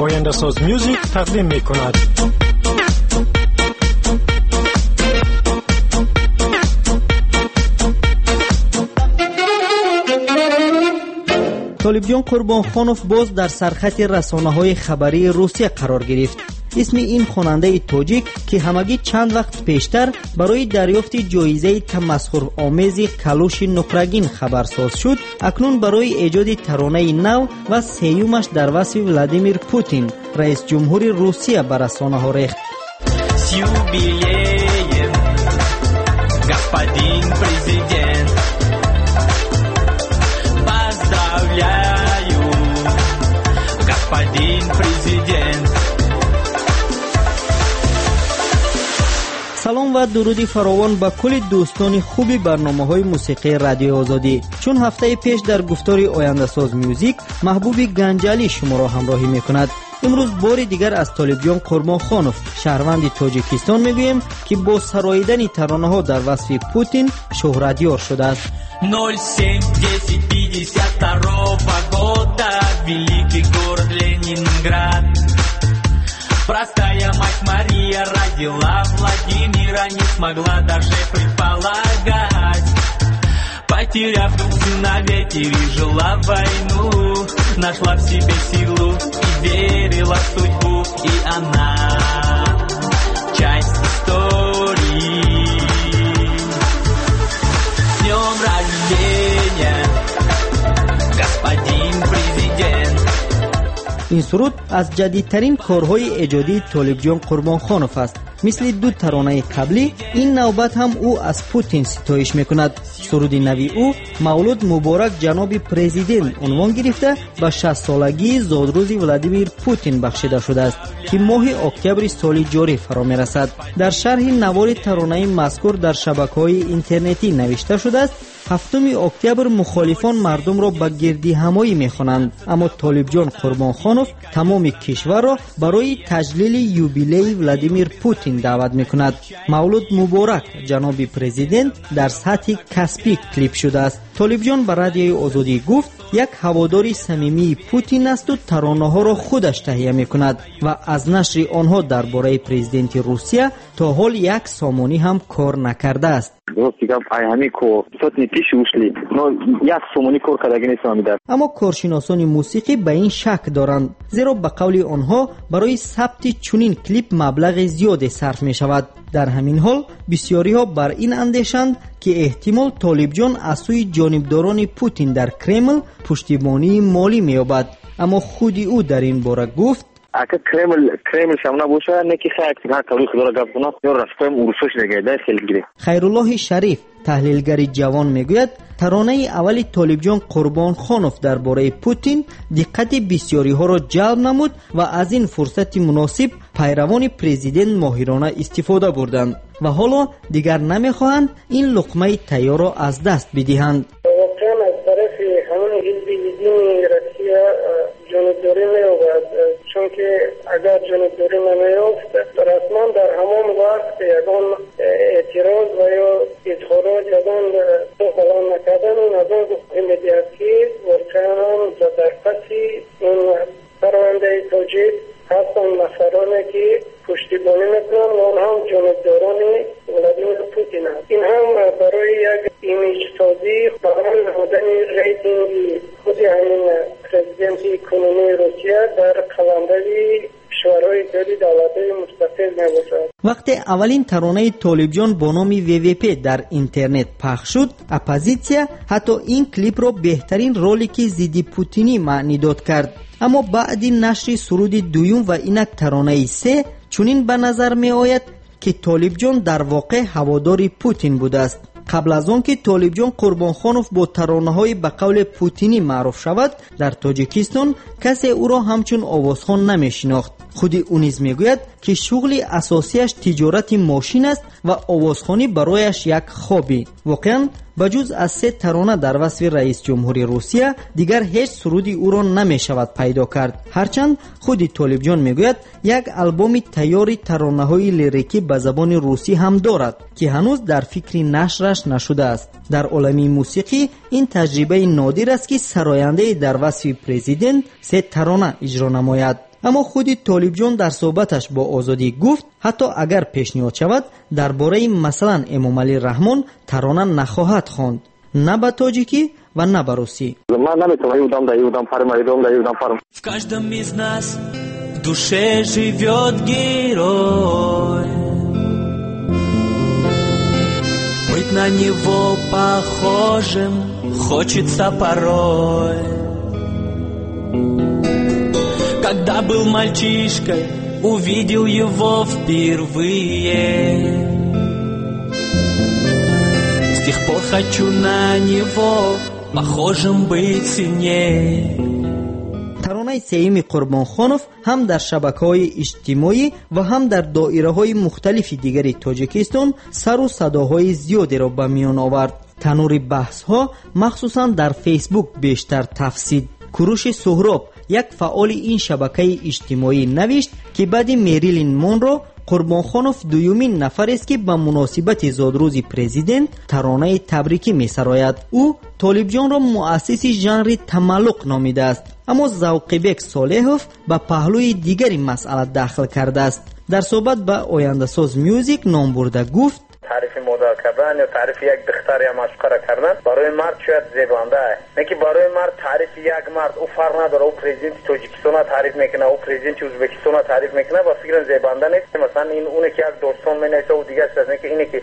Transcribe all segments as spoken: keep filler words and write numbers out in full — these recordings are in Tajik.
Ояндасоз Music тақдим мекунад. Толибҷон Қурбонхонов боз дар сархати расонаҳои хабарии Русия қарор гирифт. Исми ин хонандаи тоҷик, ки ҳамагӣ чанд вақт пештар барои дарёфти ҷоизаи тамасхуромези калуши нуқрагин хабарсоз шуд, акнун барои эҷоди таронаи нав ва сеюмаш дар васфи Владимир Путин, раисҷумҳури Русия, ба расонаҳо рехт. С юбилеем, господин президент, поздравляю, господин президент. Салом ва дуруди фаровон ба кулли дӯстони хуби барномаҳои мусиқии Радиои Озодӣ. Чун ҳафтаи пеш дар гуфтори Ояндасоз Music Маҳбуби Ганҷалӣ шуморо ҳамроҳӣ мекунад. Имрӯз бори дигар аз Толибҷон Қурбонхонов, шаҳрванди Тоҷикистон, мегӯем, ки бо сароидани таронаҳо дар васфи Путин шӯҳратёр шудааст. ноль семь десять пятьдесят второго года, великий город Ленинград. Простая мать Мария родила Владимира, не смогла даже предполагать. Потеряв двух сыновей, пережила войну, нашла в себе силу и верила в судьбу, и она часть истории. С днем рождения, господин президент! Ин суруд аз ҷадидтарин корҳои эҷодии Толибҷон Қурбонхонов аст. Мисли ду таронаи қаблӣ, ин навбат ҳам ӯ аз Путин ситоиш мекунад. Суруди нави ӯ «Мавлуд муборак, ҷаноби президент» унвон гирифта ба шастсолагии зодрӯзи Владимир Путин бахшида шудааст, ки моҳи октябри соли ҷорӣ фаро мерасад. Дар шарҳи навори таронаи мазкур дар шабакаҳои интернетӣ навишта шудааст: ҳафтуми октябр мухолифон мардумро ба гирдиҳамоӣ мехонанд, аммо Толибҷон Қурбонхонов тамоми кишварро барои таҷлили юбилеи Владимир Путин даъват мекунад. «Мавлуд муборак, ҷаноби президент» дар сатҳи касбӣ клип шудааст. Толибҷон ба Радиои Озодӣ гуфт, як ҳаводори самимии Путин асту таронаҳоро худаш таҳия мекунад ва аз нашри онҳо дар бораи президенти Русия то ҳол як сомонӣ ҳам кор накардааст. Рости гап, ай ҳамин кор сотни тысяч ушли, но як сомонӣ кор кардаги нестам ҳамин. Аммо коршиносони мусиқӣ ба ин шак доранд, зеро ба қавли онҳо барои сабти чунин клип маблағи зиёде сарф мешавад. Дар ҳамин ҳол бисёриҳо бар ин андешанд, ки эҳтимол Толибҷон аз сӯи ҷонибдорони Путин дар Кремл пуштибонии молӣ меёбад. Аммо худи ӯ дар ин бора гуфт: Ака, Кремл Кремл шам набоша, не ки хай ҳар кавли худоро гап кунам, ё рафтоем урусош негайда хеле гире. Хайруллоҳи Шариф, таҳлилгари ҷавон, мегӯяд, таронаи аввали Толибҷон Қурбонхонов дар бораи Путин диққати бисёриҳоро ҷалб намуд ва аз ин фурсати муносиб пайравони президент моҳирона истифода бурданд ва ҳоло дигар намехоҳанд ин луқмаи тайёрро аз даст бидиҳанд. Воқеан, аз тарафи ҳамон ҳизби Единая Россия ҷонибдорӣ меёбад, чунки агар ҷонибдорӣ намеёфт, расман дар ҳамон вақт ягон эътироз ва ё изҳорот, ягон баланд накардан, ин аз он гуфта медиҳад, ки воқеан дар паси ин парвандаи тоҷик ҳастанд нафароне, ки пуштибонӣ мекунанд ва онҳам ҷонибдорони Владимир Путин аст. Ин ҳам барои як имиҷсозӣ, баланд намудани рейтинги худи ҳамин президенти кунунии Русия дар қаламрави кишварҳои иттиҳоди давлатҳои мустақил мебошад. Вақте аввалин таронаи Толибҷон бо номи В В П дар интернет пахш шуд, оппозитсия ҳатто ин клипро беҳтарин ролики зидди путинӣ маънидод кард. Аммо баъди нашри суруди дуюм ва инак таронаи се чунин ба назар меояд, ки Толибҷон дар воқеъ ҳаводори Путин будааст. Қабл аз он ки Толибҷон Қурбонхонов бо таронаҳои ба қавле путинӣ маъруф шавад, дар Тоҷикистон касе ӯро ҳамчун овозхон намешинохт. Худи ӯ низ мегӯяд, ки шуғли асосияш тиҷорати мошин аст ва овозхонӣ барояш як хобӣ. Воқеан, ба ҷуз аз се тарона дар васфи раис ҷумҳури Русия, дигар ҳеҷ суруди ӯро намешавад пайдо кард. Ҳарчанд худи Толибҷон мегӯяд, як албоми тайёри таронаҳои лирикӣ ба забони русӣ ҳам дорад, ки ҳанӯз дар фикри нашраш нашудааст. Дар олами мусиқӣ ин таҷрибаи нодир аст, ки сарояндае дар васфи президент се тарона иҷро намояд. Аммо худи Толибҷон дар суҳбаташ бо Озодӣ гуфт, ҳатто агар пешниҳод шавад, дар бораи масалан Эмомалӣ Раҳмон тарона нахоҳад хонд, на ба тоҷикӣ ва на ба русӣ. Ман наметавонам юдам да юдам фарма, юдам да юдам фарма. В каждом из нас в душе живет герой. Быть на него похожим хочется порой. Когда был мальчишкой, увидел его впервые. С тех пор хочу на него похожим быть сильнее. Таронаи сеюми Қурбонхонов ҳам дар шабакаҳои иҷтимоӣ ва ҳам дар доираҳои мухталифи дигари Тоҷикистон сару садоҳои зиёдеро ба миён овард. Танури баҳсҳо махсусан дар Фейсбук бештар тафсид. Куруши Суҳроб, як фаъоли ин шабакаи иҷтимоӣ, навишт, ки баъди Мерилин Монро Қурбонхонов дуюмин нафарест, ки ба муносибати зодрӯзи президент таронаи табрикӣ месарояд. Ӯ Толибҷонро муассиси жанри тамаллуқ номидааст, аммо Завқибек Солеҳов ба паҳлӯи дигари масъала дахл кардааст. Дар суҳбат ба Ояндасоз Мюзик номбурда гуфт: таърифи модар кардан ё таърифи як духтар ё маъшуқара кардан барои мард шояд зебанда аст, лекин барои мард таърифи як мард ӯ фарқ надорад, ӯ президенти Тоҷикистона таъриф мекунад, ӯ президенти Ӯзбекистона таъриф мекунад, ба фикрам зебанда нест. Масалан, ин оне ки як достон менависад, ӯ дигар чиз аст, лекин ине ки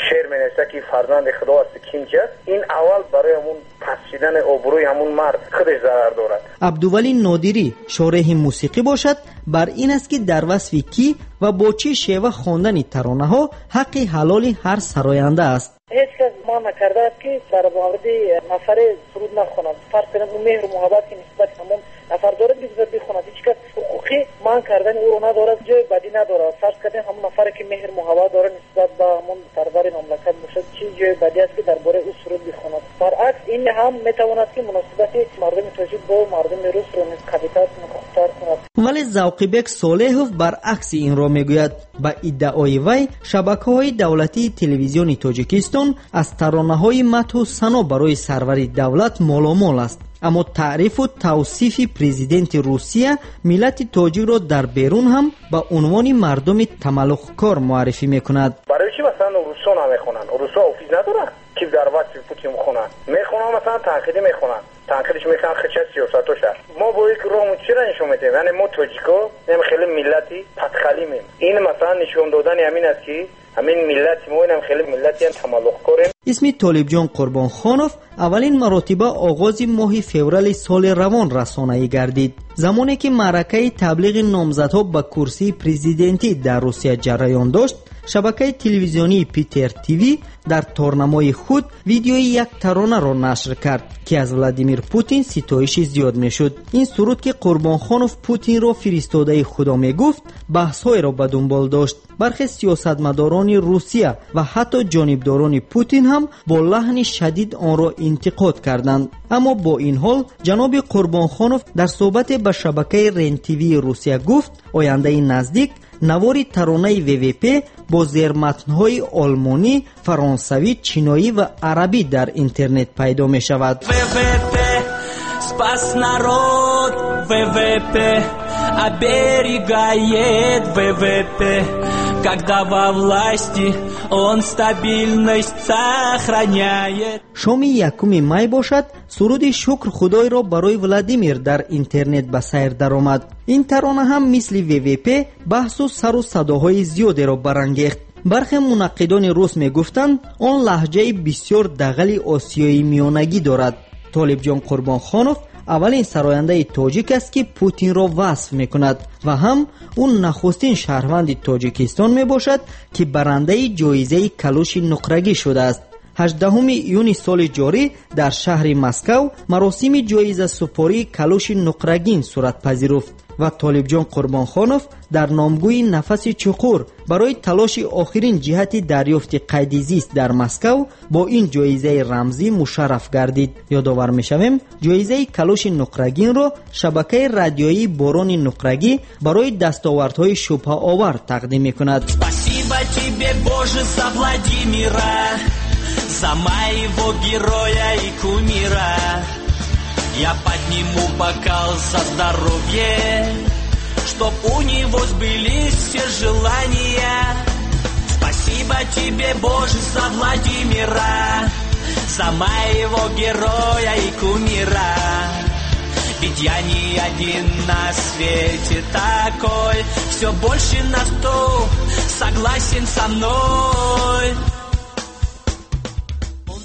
шеър менависад, ки фарзанди Худо аст, ким чи аст, ин аввал барои ҳамун паст шидани обрӯи ҳамун мард худаш зарар дорад. Абдувалӣ Нодирӣ шореҳи мусиқӣ бошад, бар ин аст, ки дар васфи кӣ ва бо чӣ шева хондани таронаҳо ҳаққи ҳалоли ҳар сароянда аст. Ҳеҷ кас манъ накардааст, ки дар мавриди нафаре суруд нахонад. Фарз кунем, ӯ меҳру муҳаббат ки нисбат ҳамон нафар дорад, бигзор бихонад. Ҳеҷ кас ҳуқуқи манъ кардани ӯро надорад, ҷои бадӣ надорад. Фарз кардем, ҳамон нафаре ки меҳру муҳаббат дорад нисбат ба ҳамон сарвари мамлакат бошад, чӣ ҷои бадӣ аст, ки дар бораи ӯ суруд бихонад? Баръакс, ин ҳам метавонад, ки муносибати мардуми тоҷик бо мардуми русро низ қавитар кунад, хубтар кунад. Вале Завқибек Солеҳов баръакси инро мегӯяд. Ба иддаои вай, шабакаҳои давлатии телевизиони Тоҷикистон аз таронаҳои мадҳу сано барои сарвари давлат моломол аст. Аммо таърифу тавсифи президенти Русия миллати тоҷикро дар берун ҳам ба унвони мардуми тамаллуқкор муаррифӣ мекунад. Барои чӣ масалан русҳо намехонанд? Русҳо офиз надоранд, ки дар васфи Путин бихонанд. Мехонанд, масалан танқидӣ мехонанд, танқидиш мекунанд хича сиёсатоша. Мо бо як роҳ чира нишон медиҳем? Яъне мо тоҷико ем хеле миллати патхалимем. Ин масалан нишон додани ҳамин аст, ки ҳамин миллати мо инам хеле миллати тамаллуқкорем. Исми Толибҷон Қурбонхонов аввалин маротиба оғози моҳи феврали соли равон расонаӣ гардид, замоне ки маъракаи таблиғи номзадҳо ба курсии президентӣ дар Русия ҷараён дошт. Шабакаи телевизионии Питер ТВ дар торнамои худ видеои як таронаро нашр кард, ки аз Владимир Путин ситоиши зиёд мешуд. Ин суруд, ки Қурбонхонов Путинро фиристодаи Худо мегуфт, баҳсҳоеро ба дунбол дошт. Бархе сиёсатмадорони Русия ва ҳатто ҷонибдорони Путин ҳам бо лаҳни шадид онро интиқод карданд. Аммо бо ин ҳол ҷаноби Қурбонхонов дар суҳбате ба шабакаи Рен-ТВ Русия гуфт, ояндаи наздик навори таронаи ВВП бо зерматнҳои олмонӣ, фаронсавӣ, чиноӣ ва арабӣ дар интернет пайдо мешавад. ВВП спас народ, ВВП оберегает, ВВП, когда во власти он стабильность сохраняет. Шоми якуми май бошад, суруди Шукр Худойро барои Владимир дар интернет ба сайр даромад. Ин тарона ҳам мисли ВВП баҳсу сару садоҳои зиёдеро барангехт. Бархе мунаққидони рус мегуфтанд, он лаҳҷаи бисёр дағали осиёи миёнагӣ дорад. Толибҷон Қурбонхонов аввалин сарояндаи тоҷик аст, ки Путинро васф мекунад ва ҳам ӯ нахустин шаҳрванди Тоҷикистон мебошад, ки барандаи ҷоизаи калуши нуқрагӣ шудааст. ҳаждаҳуми июни соли ҷорӣ дар шаҳри Москав маросими ҷоизасупории калуши нуқрагин сурат пазируфт. Ва Толибҷон Қурбонхонов дар номгӯи нафаси чуқур барои талоши охирин ҷиҳати дарёфти қайди зист дар Москав бо ин ҷоизаи рамзӣ мушарраф гардид. Ёдовар мешавем, ҷоизаи калоши нуқрагинро шабакаи радиоии Борони нуқрагӣ барои дастовардҳои шубҳаовар тақдим мекунад. Спасибо тебе, Боже, за Владимира, за моего героя и кумира. Я подниму бокал за здоровье, чтоб у него сбылись все желания. Спасибо тебе, Боже, за Владимира, за моего героя и кумира. Ведь я не один на свете такой, все больше на сто согласен со мной.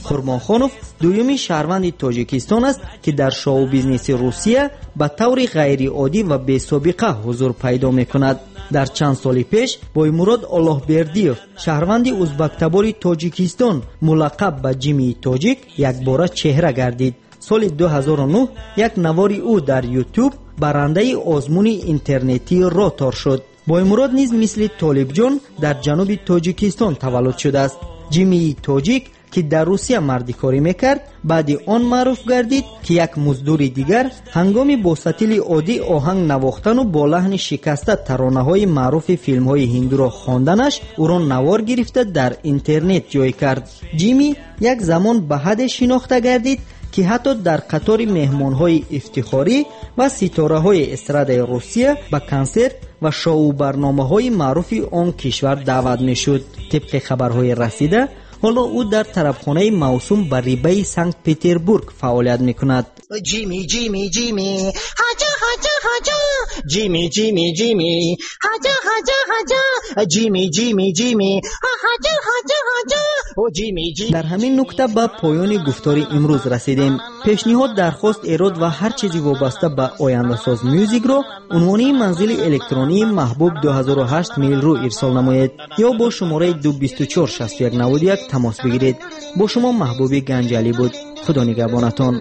Қурбонхонов дуюми шаҳрванди Тоҷикистон аст, ки дар шоу-бизнеси Русия ба таври ғайриоддӣ ва бесобиқа ҳузур пайдо мекунад. Дар чанд соли пеш Боймурод Оллоҳбердиев, шаҳрванди узбактабори Тоҷикистон, мулаққаб ба Ҷимии Тоҷик, якбора чеҳра гардид. Соли ду ҳазору нӯҳ як навори ӯ дар YouTube барандаи озмуни интернетии Ротор шуд. Боймурод низ мисли Толибҷон дар ҷануби Тоҷикистон таваллуд шудааст. Ҷимии Тоҷик, ки дар Русия мардикорӣ мекард, баъди он маъруф гардид, ки як муздури дигар ҳангоми бо сатили оддӣ оҳанг навохтану бо лаҳни шикаста таронаҳои маъруфи филмҳои ҳиндуро хонданаш ӯро навор гирифта дар интернет ҷой кард. Ҷими як замон ба ҳадде шинохта гардид, ки ҳатто дар қатори меҳмонҳои ифтихорӣ ва ситораҳои эстрадаи Русия ба консерт ва шоу-барномаҳои маъруфи он кишвар даъват мешуд. Тибқи хабарҳои расида, ҳоло ӯ дар тарабхонаи мавсум ба рибаи Санкт-Петербург фаъолият мекунад. Ҷими, Ҷими, Ҷими, ҳаҷа, ҳаҷа, ҳаҷа, Ҷими, Ҷими, Ҷими, ҳаҷа, ҳаҷа, ҳаҷа, Ҷими, Ҷими, Ҷими, ҳаҷа, ҳаҷа, ҳаҷа, о Ҷими, Ҷими. Дар ҳамин нукта ба поёни гуфтори имрӯз расидем. Пешниҳод, дархост, эрод ва ҳар чизи вобаста ба Ояндасоз Мюзикро унвони манзили электронии Маҳбуб ду ҳазору ҳашт мейл.ру ирсол намоед ё бо шумораи ду бисту чор шасту як наваду як тамос бигиред. Бо шумо Маҳбуби Ганҷалӣ буд. Худо нигаҳбонатон.